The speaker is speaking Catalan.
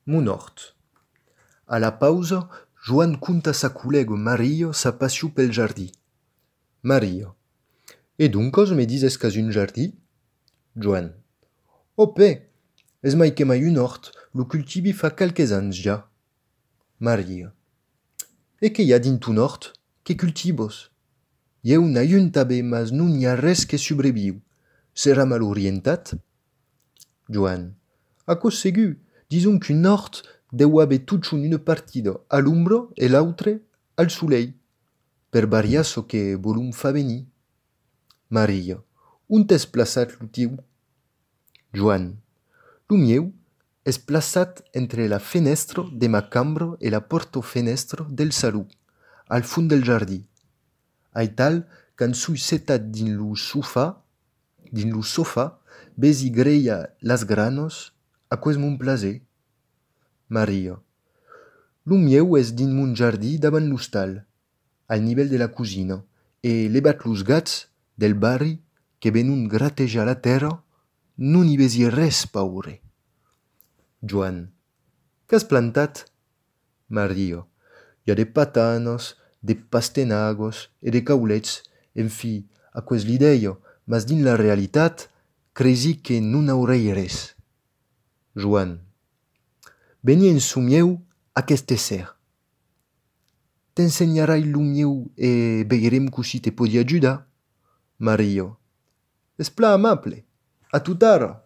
Mon hort. A la pausa, Joan conta a sa collègue Mario sa passió pel jardí. Mario. E doncos me dizes qu'has un jardí? Joan. Ope, es mai que mai un hort, lo cultivi fa quelques ans ja. Mario. E que hi ha dins ton hort? Que cultivos? Jeu n'ai un tabe, mas non hi ha res que sobreviu. Serà mal orientat? Joan. Aquò segur, dison qu'un hort deu haver tutxon una partida a l'ombra e l'autre al soleil, per variar so que volum fa venir. Maria. On t'es plaçat lo tiu? Joan. Lo mieu es plaçat entre la fenestra de ma cambra e la porta-fenestra del saló, al fund del jardí. Aital, quand sui setat din lo sofà, besi greia las granos, aquès mon plaser. Maria. Lo mieu es din mon jardí davant l'hostal, al nivell de la cosina, e levat los gats del barri que venon gratejar la terra, non hi besi res paure. Joan. Qu'has plantat? Maria. Hi ha de patanas, de pastenagos e de caulets, en fi, aquès l'idea, mas din la realitat, cresi que non aurei res. Joan. Veni en su mieu aquest esser. T'ensenyarai lo mieu e vegerem così te podi ajudar. Maria. Es pla amable. A tutara.